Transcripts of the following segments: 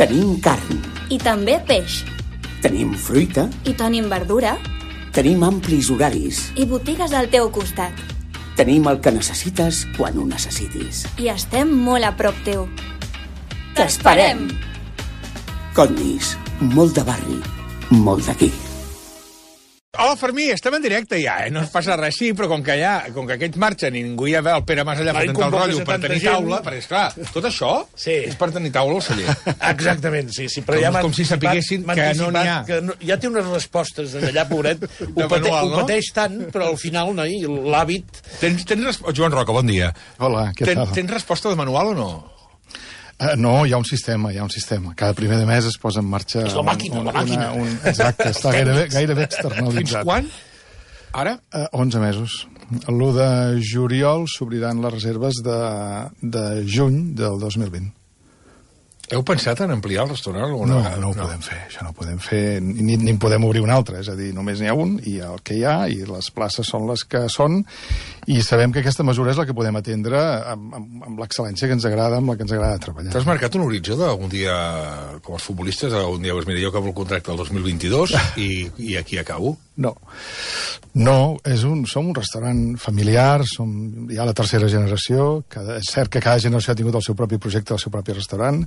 Tenim carn. I també peix. Tenim fruita. I tenim verdura. Tenim amplis horaris. I botigues al teu costat. Tenim el que necessites quan ho necessitis. I estem molt a prop teu. T'esperem! Condis, molt de barri, molt d'aquí. Hola, Fermí, estem en directe ja, No es passa res, sí, però com que aquests marxen i ningú hi ha el Pere Mas allà per tentar el rotllo, per tenir taula, perquè, esclar, tot això és per tenir taula al celler. Exactament, sí. Però ja com si sapiguessin que no n'hi ha. Ja té unes respostes d'allà, pobret. Ho pateix tant, però al final, noi, l'hàbit... Joan Roca, bon dia. Hola, què tal? Tens resposta de manual o no? No, hi ha un sistema. Cada primer de mes es posa en marxa... És la màquina. Exacte, està gairebé externalitzat. Fins quan? Ara? 11 mesos. L'1 de juliol s'obriran les reserves de juny del 2020. Heu pensat en ampliar el restaurant alguna vegada? No ho podem fer, això no ho podem fer, ni en podem obrir un altre, és a dir, només n'hi ha un, i el que hi ha, i les places són les que són, i sabem que aquesta mesura és la que podem atendre amb l'excel·lència que ens agrada, amb la que ens agrada treballar. T'has marcat un horitzó d'algun dia, com els futbolistes, algun dia, mira, jo acabo el contracte el 2022 i aquí acabo? No, som un restaurant familiar, hi ha la tercera generació, és cert que cada generació ha tingut el seu propi projecte, el seu propi restaurant,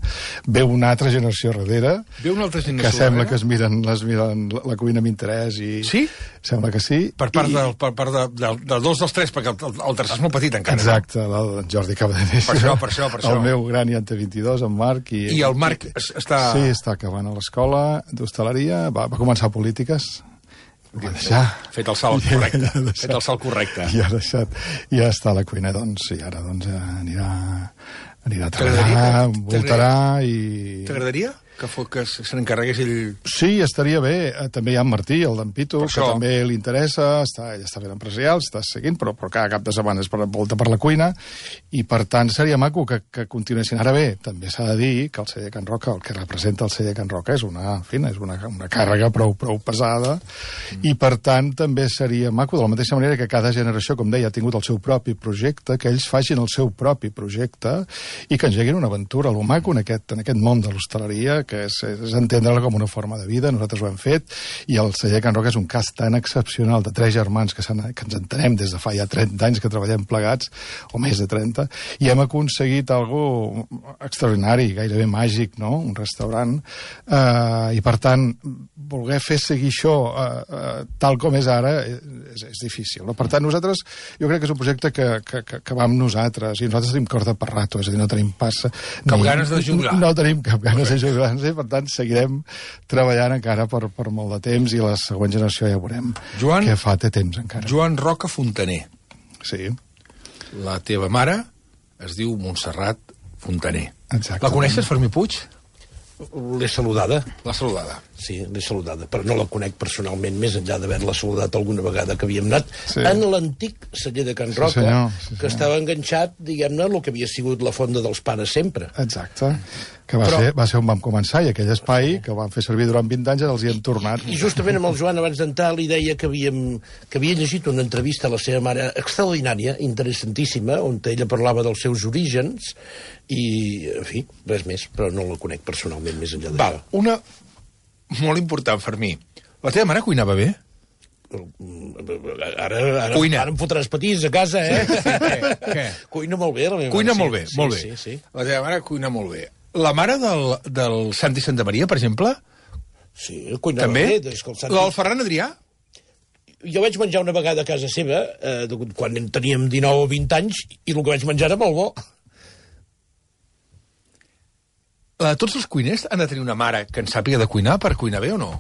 ve una altra generació darrere, que sembla que es miren la cuina amb interès i... Sí? Sembla que sí. Per part del dos dels tres, perquè el tercer és molt petit encara. Exacte, el Jordi acaba de néixer. Per això. El meu gran ja en té 22, en Marc. I el Marc està... Sí, està acabant a l'escola d'hostaleria, va començar polítiques, va deixar... Fet el salt correcte. I ha deixat, i ja està a la cuina, i ara anirà a treballar, voltarà i... T'agradaria que se n'encarregués ell? Sí, estaria bé. També hi ha en Martí, el d'en Pitu, que també li interessa, ell està fent empresarial, està seguint, però cada cap de setmana és volta per la cuina, i per tant seria maco que continuessin. Ara bé, també s'ha de dir que el celler Can Roca, el que representa el celler Can Roca, és una càrrega prou pesada, i per tant també seria maco, de la mateixa manera que cada generació, com deia, ha tingut el seu propi projecte, que ells facin el seu propi projecte i que engeguin una aventura. Lo maco en aquest món de l'hostaleria, que és entendre-la com una forma de vida, nosaltres ho hem fet, i el celler Can Roca és un cas tan excepcional de 3 germans que ens entenem des de fa ja 30 anys que treballem plegats, o més de 30, i hem aconseguit algo extraordinari, gairebé màgic, no?, un restaurant, i per tant, voler fer seguir això tal com és ara és difícil. Per tant, nosaltres, jo crec que és un projecte que va amb nosaltres, i nosaltres tenim cor de parrato, és a dir, no tenim passa... Cap ganes de jugar. No tenim cap ganes de jugar, per tant, seguirem treballant encara per molt de temps, i la següent generació ja veurem què fa, té temps encara. Joan Roca Fontaner. Sí. La teva mare es diu Montserrat Fontaner. Exacte. La coneixes, Fermí Puig? L'he saludada. L'ha saludada. Sí, l'he saludada, però no la conec personalment, més enllà d'haver-la saludat alguna vegada que havíem anat en l'antic celler de Can Roca, que estava enganxat, diguem-ne, el que havia sigut la fonda dels pares sempre. Exacte, que va ser on vam començar, i aquell espai que vam fer servir durant 20 anys els hi hem tornat. I justament amb el Joan, abans d'entrar, li deia que havia llegit una entrevista a la seva mare extraordinària, interessantíssima, on ella parlava dels seus orígens, i, en fi, res més, però no la conec personalment més enllà d'això. Una molt important, Fermí. La teva mare cuinava bé? Ara em fotràs petits a casa, Què? Cuina molt bé, la meva mare. Cuina molt bé, molt bé. Sí. La teva mare cuina molt bé. La mare del Santi Santamaria, per exemple? Sí, cuinava bé. Del Ferran Adrià? Jo vaig menjar una vegada a casa seva, quan teníem 19 o 20 anys, i el que vaig menjar era molt bo. Tots els cuiners han de tenir una mare que en sàpiga de cuinar per cuinar bé o no?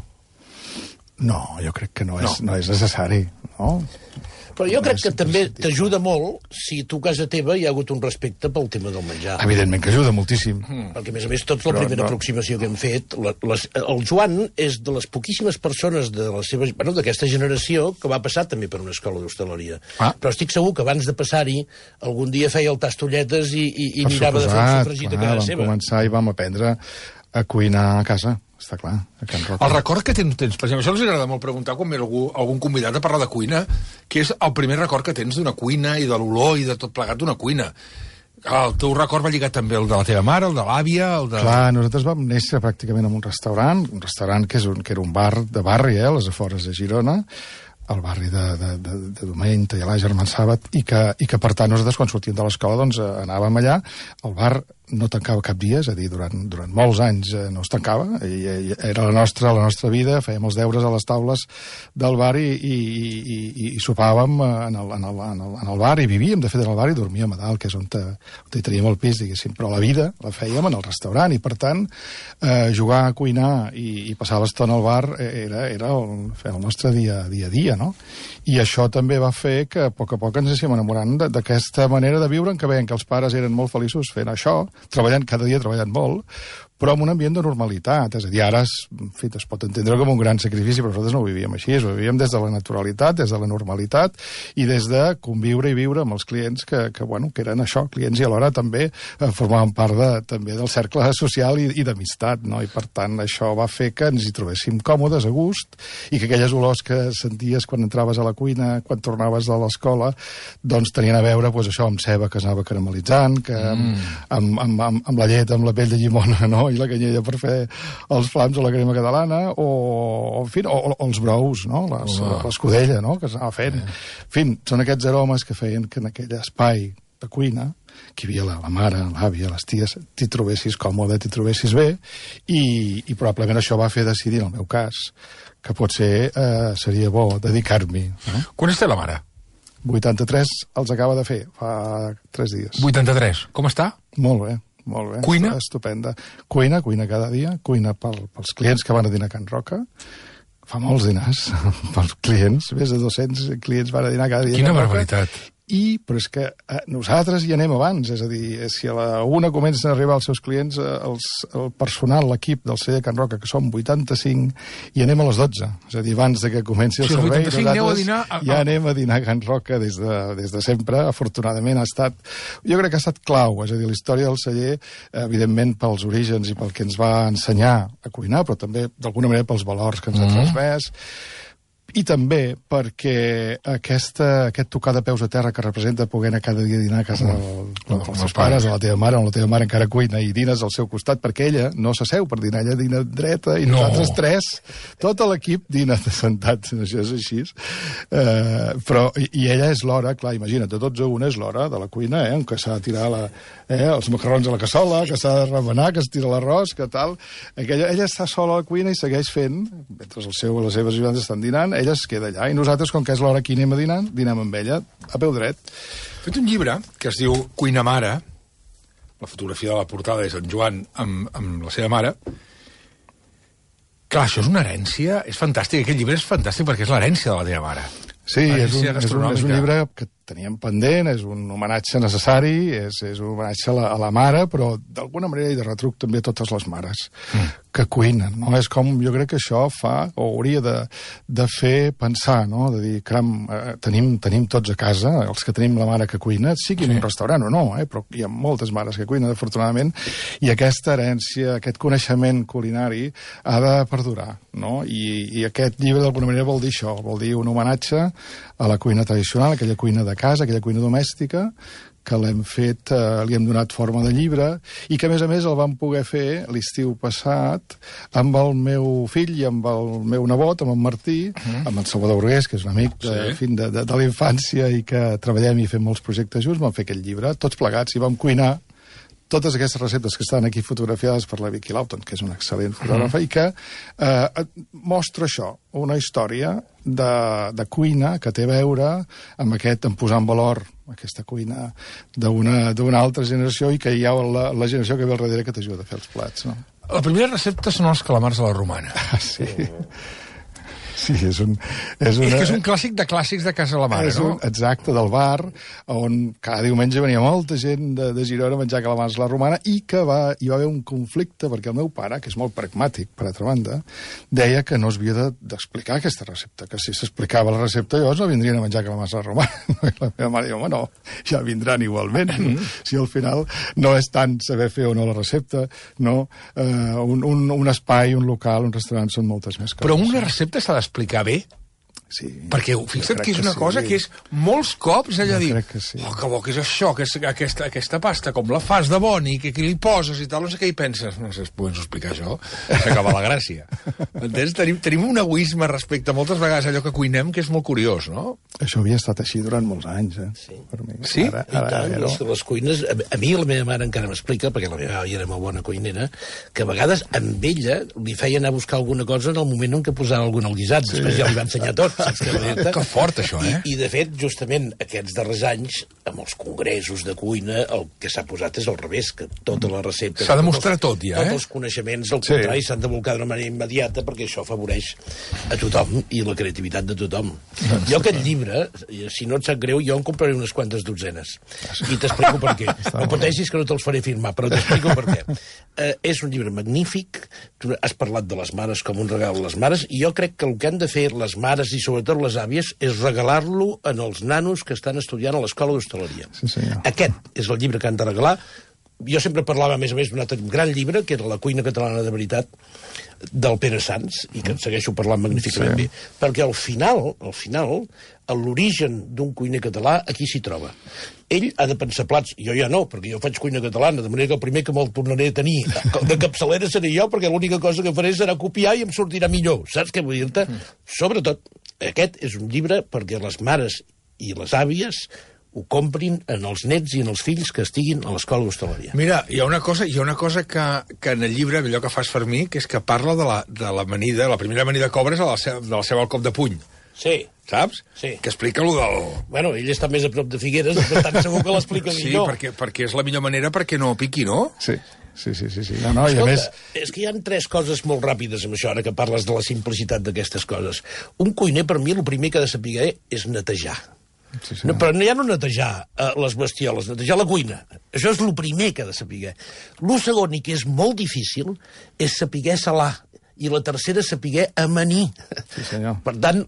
No, jo crec que no és necessari, no? Però jo crec que també t'ajuda molt si tu a casa teva hi ha hagut un respecte pel tema del menjar. Evidentment que ajuda moltíssim. Perquè, a més, tota la primera aproximació que hem fet, el Joan és de les poquíssimes persones d'aquesta generació que va passar també per una escola d'hostaleria. Però estic segur que abans de passar-hi, algun dia feia el tastolletes i mirava de fer un sofregit a casa seva. Vam començar i vam aprendre a cuinar a casa. Està clar, a Can Roca. El record que tens, per exemple, això els agrada molt preguntar quan ve algun convidat a parlar de cuina, que és el primer record que tens d'una cuina i de l'olor i de tot plegat d'una cuina. El teu record va lligat també el de la teva mare, el de l'àvia, el de... Clar, nosaltres vam néixer pràcticament en un restaurant que era un bar de barri, a les afores de Girona, al barri de Domeny, Tallalà, Germán Sàbat, i que per tant nosaltres quan sortíem de l'escola doncs anàvem allà. El bar no tancava cap dia, és a dir, durant molts anys no es tancava, i era la nostra vida, fèiem els deures a les taules del bar i sopàvem en el bar, i vivíem de fet en el bar i dormíem a dalt, que és on hi teníem el pis, diguéssim, però la vida la fèiem en el restaurant, i per tant jugar a cuinar i passar l'estona al bar era el nostre dia a dia, no? I això també va fer que a poc ens anéssim enamorant d'aquesta manera de viure, en què veiem que els pares eren molt feliços fent això, cada dia treballant molt, però amb un ambient de normalitat. És a dir, ara es pot entendre com un gran sacrifici, però nosaltres no ho vivíem així, ho vivíem des de la naturalitat, des de la normalitat, i des de conviure i viure amb els clients que eren això, clients, i alhora també formaven part també del cercle social i d'amistat, no? I per tant això va fer que ens hi trobéssim còmodes, a gust, i que aquelles olors que senties quan entraves a la cuina, quan tornaves de l'escola, doncs tenien a veure això amb ceba que s'anava caramelitzant, que amb la llet, amb la pell de llimona, no? I la canyella per fer els flams o la crema catalana, o els brous, no? L'escudella, no? Que s'anava fent. En fi, són aquests aromes que feien que en aquell espai de cuina, que hi havia la mare, l'àvia, les ties, t'hi trobessis còmode, t'hi trobessis bé, i probablement això va fer decidir, en el meu cas, que potser seria bo dedicar-m'hi. No? Quan té la mare? 83 els acaba de fer, fa 3 dies. 83. Com està? Molt bé. Molt bé. Cuina? Estupenda. Cuina cada dia. Cuina pels clients que van a dinar a Can Roca. Fa molts dinars pels clients. Més de 200 clients van a dinar cada dia. Quina barbaritat. Però és que nosaltres hi anem abans, és a dir, si a la 1 comencen a arribar els seus clients, el personal, l'equip del celler Can Roca, que som 85, i anem a les 12. És a dir, abans de que comenci el servei, nosaltres ja anem a dinar a Can Roca des de sempre. Afortunadament jo crec que ha estat clau, és a dir, la història del celler, evidentment pels orígens i pel que ens va ensenyar a cuinar, però també d'alguna manera pels valors que ens ha transmès, i també perquè aquest tocar de peus a terra que representa poder anar cada dia a dinar a casa dels seus pares, o la teva mare, o la teva mare encara cuina i dines al seu costat, perquè ella no s'asseu per dinar, ella dina dreta, i nosaltres 3, tot l'equip dina sentats, això és així. I ella és l'hora, clar, imagina't, de 12 a 1 és l'hora de la cuina, on que s'ha de tirar els macarrons a la cassola, que s'ha de remenar, que es tira l'arròs, que tal. Ella està sola a la cuina i segueix fent, mentre les seves ajudants estan dinant, ella es queda allà, i nosaltres, com que és l'hora que anem a dinar, dinem amb ella, a peu dret. He fet un llibre que es diu Cuina Mare, la fotografia de la portada és en Joan amb la seva mare. Clar, això és una herència, és fantàstic, aquest llibre és fantàstic perquè és l'herència de la teva mare. Sí, és un llibre que teníem pendent, és un homenatge necessari, és un homenatge a la mare, però d'alguna manera hi de retruc també a totes les mares que cuinen, no? És com, jo crec que això fa, o hauria de fer pensar, no? De dir, caram, tenim tots a casa, els que tenim la mare que cuina, sigui en un restaurant o no, però hi ha moltes mares que cuinen, afortunadament, i aquesta herència, aquest coneixement culinari ha de perdurar, no? I aquest llibre d'alguna manera vol dir això, vol dir un homenatge a la cuina tradicional, aquella cuina de casa, aquella cuina domèstica, que l'hem fet, li hem donat forma de llibre, i que, a més, el vam poder fer l'estiu passat amb el meu fill i amb el meu nebot, amb en Martí, amb el Salvador Burgués, que és un amic de la infància i que treballem i fem molts projectes junts, vam fer aquest llibre, tots plegats, i vam cuinar totes aquestes receptes que estan aquí fotografiades per la Vicky Lawton, que és una excel·lent fotògrafa, i que mostra això, una història de cuina que té a veure amb en posar en valor aquesta cuina d'una altra generació, i que hi ha la generació que ve al darrere que t'ajuda a fer els plats. No? La primera recepta són els calamars a la romana. Sí. Sí, és que és un clàssic de clàssics de casa la mare, no? Exacte, del bar, on cada diumenge venia molta gent de Girona a menjar calamars a la romana, i que hi va haver un conflicte, perquè el meu pare, que és molt pragmàtic, per altra banda, deia que no s'havia d'explicar aquesta recepta, que si s'explicava la recepta llavors no vindrien a menjar calamars a la romana. I la meva mare diu, home, no, ja vindran igualment. Si al final no és tant saber fer o no la recepta, no, un espai, un local, un restaurant, són moltes més coses. Però una recepta s'ha d'explicar bé? Sí. Perquè fixa't que és una cosa que és molts cops allò dir, sí. Que bo que és això, que és aquesta pasta, com la fas de boni, que li poses i tal, no sé què hi penses. No sé, podem explicar això? S'acaba la gràcia. Entens? Tenim un egoisme respecte a moltes vegades allò que cuinem que és molt curiós, no? Això havia estat així durant molts anys, Sí. Per mi. Sí? Ara, les cuines... A mi la meva mare encara m'explica, perquè la meva àvia era molt bona cuinera, que a vegades amb ella li feia anar a buscar alguna cosa en el moment en què posava algun al guisat. Després ja li va ensenyar tot. Que fort, això, I de fet, justament, aquests darrers anys, amb els congressos de cuina, el que s'ha posat és al revés, que tota la recepta... S'ha demostrat tot, ja, Tots els coneixements, al contrari, s'han de volcar d'una manera immediata, perquè això afavoreix a tothom i la creativitat de tothom. Jo aquest llibre, si no et sap greu, jo en compraré unes quantes dotzenes. I t'explico per què. No pateixis que no te'ls faré firmar, però t'explico per què. És un llibre magnífic, tu has parlat de les mares com un regal a les mares, i jo crec que el que han de fer les mares i sobretot les àvies és regalar-lo en els nanos que estan estudiant a l'escola d'hostaleria. Sí, senyor. Aquest és el llibre que han de regalar. Jo sempre parlava, a més d'un altre gran llibre, que era La cuina catalana de veritat, del Pere Sans, i que en segueixo parlant magníficament bé, perquè al final, l'origen d'un cuiner català aquí s'hi troba. Ell ha de pensar plats, jo ja no, perquè jo faig cuina catalana, de manera que el primer que me'l tornaré a tenir de capçalera seré jo, perquè l'única cosa que faré serà copiar i em sortirà millor. Saps què vull dir-te? Sobretot, aquest és un llibre perquè les mares i les àvies ho comprin en els nets i en els fills que estiguin a l'escola d'hostaleria. Mira, hi ha una cosa que en el llibre, allò que fas Fermí, que és que parla de l'amanida, la primera amanida que obres de la seva al cop de puny. Sí. Saps? Sí. Que explica allò del... Bueno, ell està més a prop de Figueres, per tant segur que l'explica millor. Sí, perquè és la millor manera perquè no piqui, no? Sí. No, i a més... És que hi ha 3 coses molt ràpides amb això, ara que parles de la simplicitat d'aquestes coses. Un cuiner, per mi, el primer que ha de saber és netejar. Sí. No, però ja no netejar les bestioles, netejar la cuina. Això és el primer que ha de saber. El segon, i que és molt difícil, és saber salar. I la tercera, saber amanir. Sí, senyor. Per tant,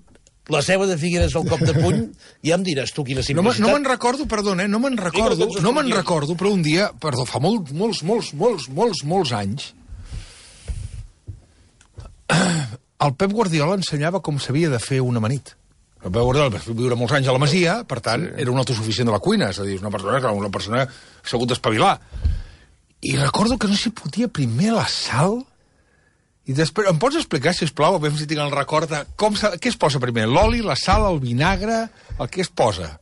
la ceba de Figueres al cop de puny, ja em diràs tu quina simplicitat. No me'n recordo, perdona, no me'n recordo, però un dia, fa molts anys, el Pep Guardiola ensenyava com s'havia de fer un amanit. El Pep Guardiola va viure molts anys a la Masia, per tant, era un autosuficient de la cuina, és a dir, una persona segut d'espavilar. I recordo que no s'hi podia primer la sal, i després, em pots explicar, sisplau, a veure si tinc el record de què es posa primer? L'oli, la sal, el vinagre, el que es posa?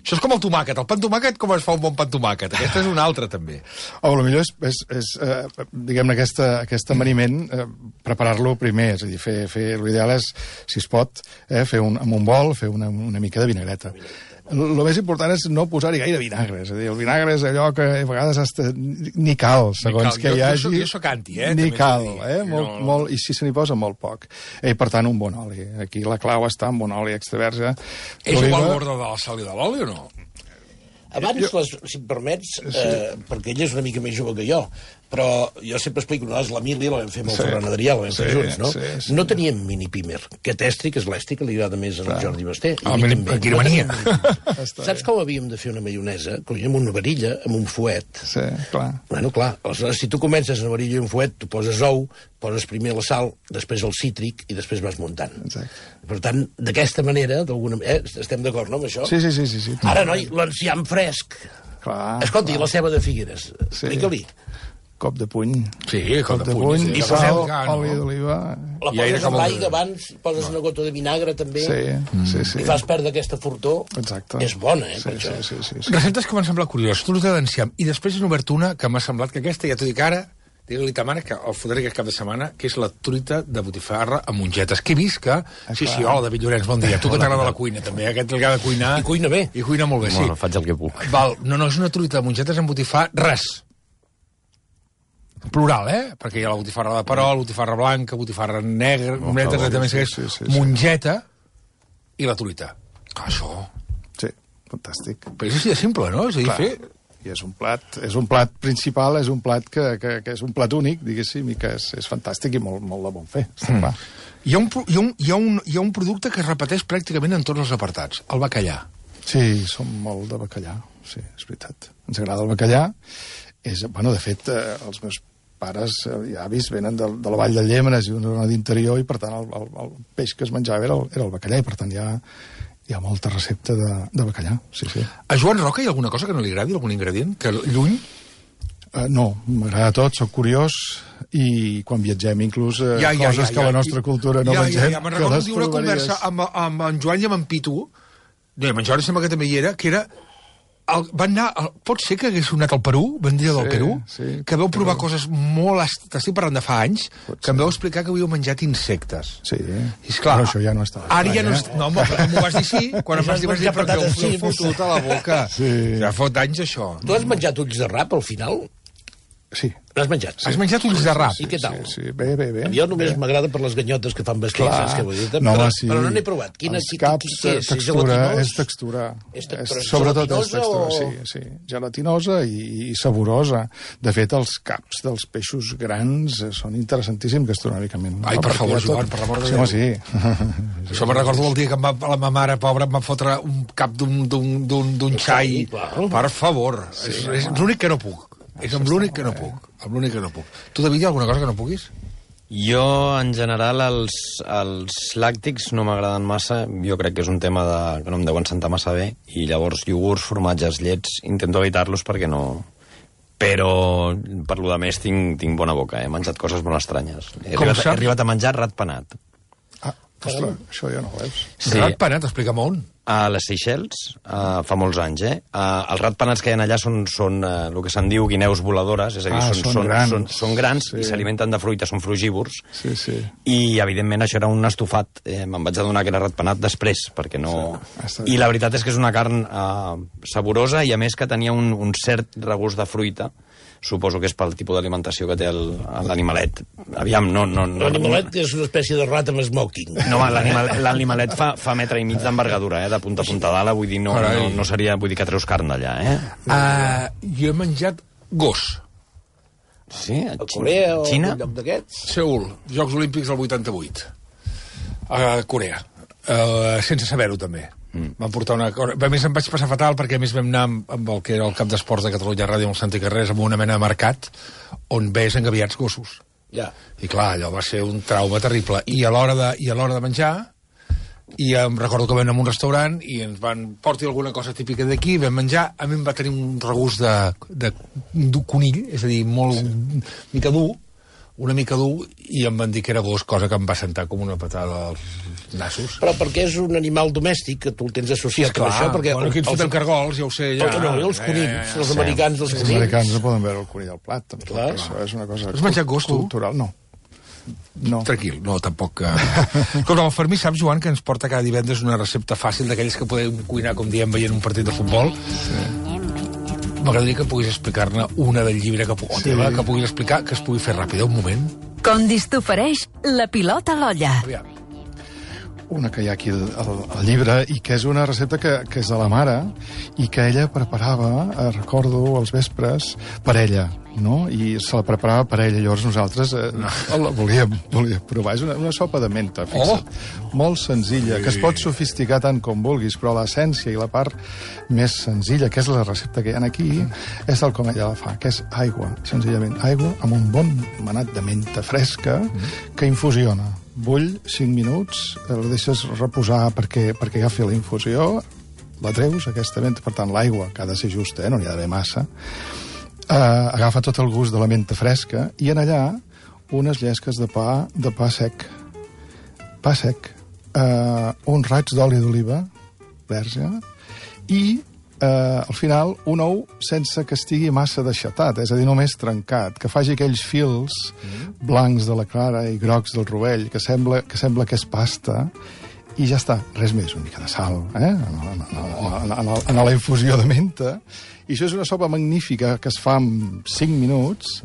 Això és com el tomàquet. El pa amb tomàquet, com es fa un bon pa amb tomàquet? Aquesta és una altra, també. O potser és diguem-ne, aquest amaniment, preparar-lo primer, és a dir, l'ideal és, si es pot, fer amb un bol, fer una mica de vinagreta. El més important és no posar-hi gaire vinagre, és a dir, el vinagre és allò que a vegades ni cal, segons que hi hagi... Jo soc anti, Ni cal, molt, i si se n'hi posa molt poc. I per tant, un bon oli. Aquí la clau està en bon oli extra verge. És igual l'ordre de la sal i de l'oli o no? Abans, si em permets, perquè ella és una mica més jove que jo, però jo sempre explico, nosaltres l'Emília la vam fer amb el Ferran Adrià, la vam fer junts, no? Sí. No teníem mini-pimer, que Tèstric és l'Esti, que li agrada més al Jordi Basté. Quina mania. Saps com havíem de fer una maionesa? Cogíem una varilla amb un fuet. Sí, clar. Bueno, clar, aleshores, si tu comences una varilla i un fuet, tu poses ou, poses primer la sal, després el cítric i després vas muntant. Exacte. Per tant, d'aquesta manera, estem d'acord, no, amb això? Sí. Ara, noi, l'enciam fresc. Clar. Escolta, i la ceba de Figueres? Explica-li. Cop de puny. Sí, cop de puny. I sal, oli d'oliva. La poses amb l'aigua abans, poses una gota de vinagre també, Sí. i fas perdre aquesta fortor. Exacte. És bona, per això. Sí. Receptes que m'han semblat curioses, truita d'enciam. I després n'he obert una que m'ha semblat que aquesta, ja t'ho dic ara, digue-li ta mare que el fotré aquest cap de setmana, que és la truita de botifarra amb mongetes, que he vist que... Sí, hola, David Llorenç, bon dia. Tu que t'agrada la cuina, també, aquest que ha de cuinar... I cuina bé. I cuina molt bé, sí. Bueno, faig el que puc. Val, no, és una truita de mongetes amb botifar, res. Plural, perquè hi ha la botifarra de perol, botifarra blanca, botifarra negra, mongeta i la truita. Això... Sí, fantàstic. Però és així de simple, no? És a dir, fer... I és un plat principal, és un plat que és un plat únic, diguéssim, i que és fantàstic i molt de bon fer. Hi ha un producte que es repeteix pràcticament en tots els apartats, el bacallà. Sí, som molt de bacallà, sí, és veritat. Ens agrada el bacallà. De fet, els meus pares i avis venen de la vall de Llémenes i d'una zona d'interior, i per tant el peix que es menjava era el bacallà, i per tant hi ha molta recepta de bacallà, sí. A Joan Roca hi ha alguna cosa que no li agradi, algun ingredient? Que lluny? No, m'agrada tot, soc curiós, i quan viatgem inclús coses que la nostra cultura no mengem. Me'n recordo una conversa amb en Joan i amb en Pitu, en Jordi sembla que també hi era, que era... Van anar, pot ser que hagués anat al Perú, vendria del Perú, que vau provar coses molt... T'estic parlant de fa anys, que em vau explicar que havíeu menjat insectes. Sí, però això ja no està. Ara ja no... No, home, però m'ho vas dir sí, quan em vas dir però que heu fotut a la boca. Ja fot anys, això. Tu has menjat ulls de rap, al final? Sí. L'has menjat? Has menjat ulls de rap? I què tal? Sí, bé. Jo només m'agrada per les ganyotes que fan besquilles, que vull dir, però no n'he provat. Els caps, textura, és textura. Sobretot és textura, sí. Gelatinosa i saborosa. De fet, els caps dels peixos grans són interessantíssims gastronòmicament. Ai, per favor, Joan, per l'amor de Déu. Sí. Això me'n recordo el dia que la meva mare, pobra, em va fotre un cap d'un xai. Per favor. És l'únic que no puc. És amb l'únic que no puc. Amb l'únic que no puc. Tu, David, hi ha alguna cosa que no puguis? Jo, en general, els làctics no m'agraden massa. Jo crec que és un tema que no em deuen sentar massa bé. I llavors, iogurts, formatges, llets, intento evitar-los perquè no... Però, per lo de més, tinc bona boca. He menjat coses molt estranyes. He arribat a menjar ratpenat. Ostres, això ja no ho veus. Sí. Ratpenat, explica'm on. A les Seychelles, fa molts anys, els ratpenats que hi ha allà són el que se'n diu guineus voladores, és a dir, són grans i s'alimenten de fruita, són frugívors. Sí. I, evidentment, això era un estofat. Me'n vaig adonar que era ratpenat després, perquè no... I la veritat és que és una carn saborosa i, a més, que tenia un cert regust de fruita. Suposo que és pel tipus d'alimentació que té l'animalet. Aviam, no... L'animalet és una espècie de rat amb smoking. No, l'animalet fa metre i mig d'envergadura, de punta a punta d'ala, vull dir, no seria... Vull dir que treus carn d'allà, Jo he menjat gos. Sí? A Corea o Xina? un lloc d'aquests? Seül, Jocs Olímpics del 88. A Corea. Sense saber-ho, també. Vam portar una... A més, em vaig passar fatal perquè, a més, vam anar amb el que era el cap d'esports de Catalunya Ràdio, amb el Santi Carrers, amb una mena de mercat on ves engaviats gossos. Ja. I clar, allò va ser un trauma terrible. I a l'hora de menjar, i em recordo que vam anar a un restaurant i ens van portar alguna cosa típica d'aquí, vam menjar, a mi em va tenir un regust de conill, és a dir, una mica dur, i em van dir que era gos, cosa que em va sentar com una patada als nassos. Però perquè és un animal domèstic, que tu el tens associat amb això, perquè... Bueno, aquí ens fotem cargols, ja ho sé, ja... No, els conills, els americans dels conills. Els americans no poden veure el conill al plat, tampoc. Això és una cosa... Has menjat gos, tu? Cultural, no. Tranquil, no, tampoc... Escolta, el Fermí, saps, Joan, que ens porta cada divendres una recepta fàcil d'aquells que podem cuinar, com diem, veient un partit de futbol? Sí. M'agradaria que puguis explicar-ne una del llibre que puguis explicar, que es pugui fer ràpida, un moment. Condis t'ofereix la pilota a l'olla. Aviam. Una que hi ha aquí al llibre, i que és una recepta que és de la mare, i que ella preparava, recordo, als vespres, per ella, no? I se la preparava per ella. Llavors nosaltres la volíem provar. És una sopa de menta, fixa't. Molt senzilla, que es pot sofisticar tant com vulguis, però l'essència i la part més senzilla, que és la recepta que hi ha aquí, és tal com ella la fa, que és aigua, senzillament. Aigua amb un bon manat de menta fresca que infusiona. Bull 5 minuts, la deixes reposar perquè agafi la infusió, la treus, aquesta menta, per tant, l'aigua, que ha de ser justa, no n'hi ha d'haver massa, agafa tot el gust de la menta fresca, i en allà unes llesques de pa sec, uns raigs d'oli d'oliva verge, i al final un ou sense que estigui massa deixatat, és a dir, només trencat, que faci aquells fils blancs de la clara i grocs del rovell, que sembla que és pasta, i ja està, res més, una mica de sal, en la infusió de menta, i això és una sopa magnífica que es fa en 5 minuts,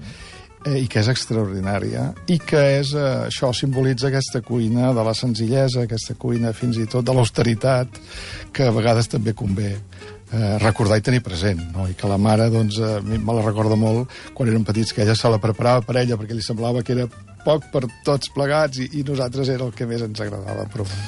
i que és extraordinària, i que això simbolitza aquesta cuina de la senzillesa, aquesta cuina fins i tot de l'austeritat, que a vegades també convé recordar i tenir present, no? I que la mare, doncs, me la recorda molt quan érem petits, que ella se la preparava per ella perquè li semblava que era poc per tots plegats, i nosaltres era el que més ens agradava provar.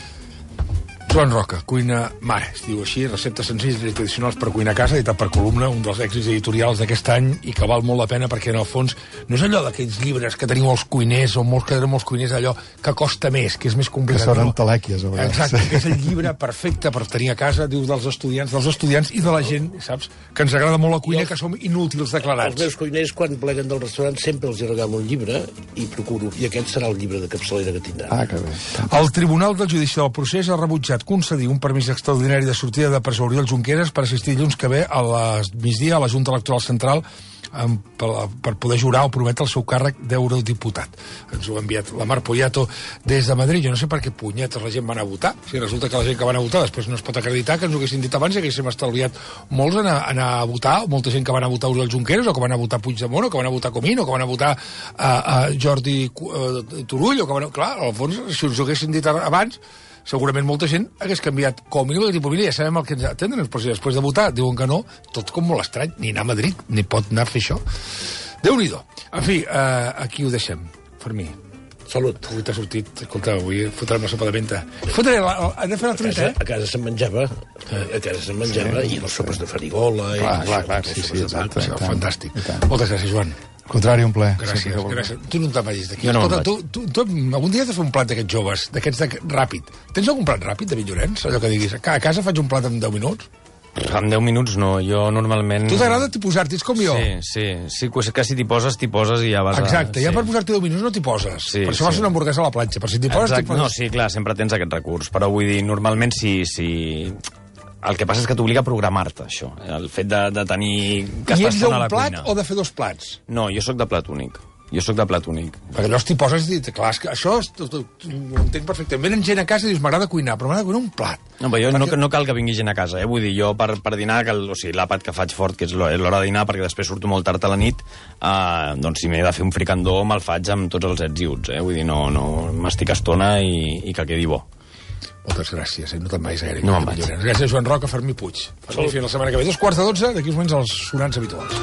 Joan Roca, Cuina Mare, es diu així, receptes senzilles i tradicionals per cuinar a casa, editat per Columna, un dels èxits editorials d'aquest any i que val molt la pena perquè, en el fons, no és allò d'aquells llibres que teniu els cuiners o molts que tenen molts cuiners, allò que costa més, que és més complicat. Que són entelèquies, a vegades. Exacte, que és el llibre perfecte per tenir a casa, diu, dels estudiants i de la gent, saps, que ens agrada molt la cuina, que som inútils declarats. Els meus cuiners, quan pleguen del restaurant, sempre els regalo un llibre i procuro, i aquest serà el llibre de capçalera que tindran. Ah, que bé. El Tribunal del Judici del Procés ha rebutjat concedir un permís extraordinari de sortida de presó Oriol Junqueras per assistir dilluns que ve a la migdia a la Junta Electoral Central per poder jurar o prometre el seu càrrec d'eurodiputat. Ens ho ha enviat la Mar Poyato des de Madrid. Jo no sé per què punyetes la gent va anar a votar. Si resulta que la gent que va anar a votar després no es pot acreditar que ens ho haguessin dit abans i haguéssim estalviat molts anar a votar, molta gent que va anar a votar Oriol Junqueras o que va anar a votar Puigdemont o que va anar a votar Comín o que va anar a votar Jordi Turull o que va anar... Clar, al fons, si us ho haguessin dit abans, segurament molta gent hagués canviat com a mínim, mira, ja sabem el que ens atenen, però si després de votar diuen que no, tot com molt estrany, ni anar a Madrid, ni pot anar a fer això. Déu-n'hi-do. En fi, aquí ho deixem. Fermí. Salut. Avui t'ha sortit, escolta, avui fotrem la sopa de menta. Hem de fer la truita, A casa se'n menjava, i les sopes de farigola... Clar, sí, exacte. Fantàstic. Moltes gràcies, Joan. Al contrari, un plaer. Gràcies. Tu no te'n vagis d'aquí. Jo no Escolta, tu algun dia has de fer un plat d'aquests joves, d'aquests ràpid. Tens algun plat ràpid, David Llorenç? Allò que diguis, a casa faig un plat en 10 minuts? En 10 minuts no, jo normalment... Tu t'agrada posar-t'hi, és com jo. Sí, que si t'hi poses i ja vas Exacte, ja per posar-t'hi 10 minuts no t'hi poses. Sí, per això fas una hamburguesa a la planxa, per si t'hi poses, t'hi poses. No, sí, clar, sempre tens aquest recurs, però vull dir, normalment sí. El que passa és que t'obliga a programar-te, això. El fet de tenir... I ets d'un plat o de fer 2 plats? No, jo sóc de plat únic. Perquè allò t'hi poses i dius, clar, això ho entenc perfectament. Venen gent a casa i dius, m'agrada cuinar, però m'agrada cuinar un plat. No, però jo no cal que vingui gent a casa, Vull dir, jo per dinar, l'àpat que faig fort, que és l'hora de dinar, perquè després surto molt tard a la nit, doncs si m'he de fer un fricandó, me'l faig amb tots els ets i uts, Vull dir, no m'estic estona i que quedi bo. Moltes gràcies, no te'n vagis gaire. No me'n vaig. Gràcies, Joan Roca, Fermí Puig. Fermí, fins la setmana que ve. 2:45, d'aquí uns moments els sonants habituals.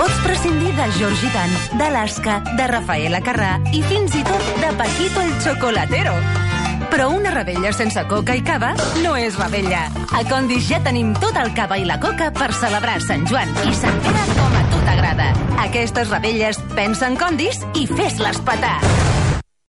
Pots prescindir de Georgie Dan, d'Alaska, de Rafaela Carrà i fins i tot de Paquito el Chocolatero. Però una rebella sense coca i cava no és rebella. A Condis ja tenim tot el cava i la coca per celebrar Sant Joan i Sant Pere com a tu t'agrada. Aquestes rebelles pensa en Condis i fes-les petar.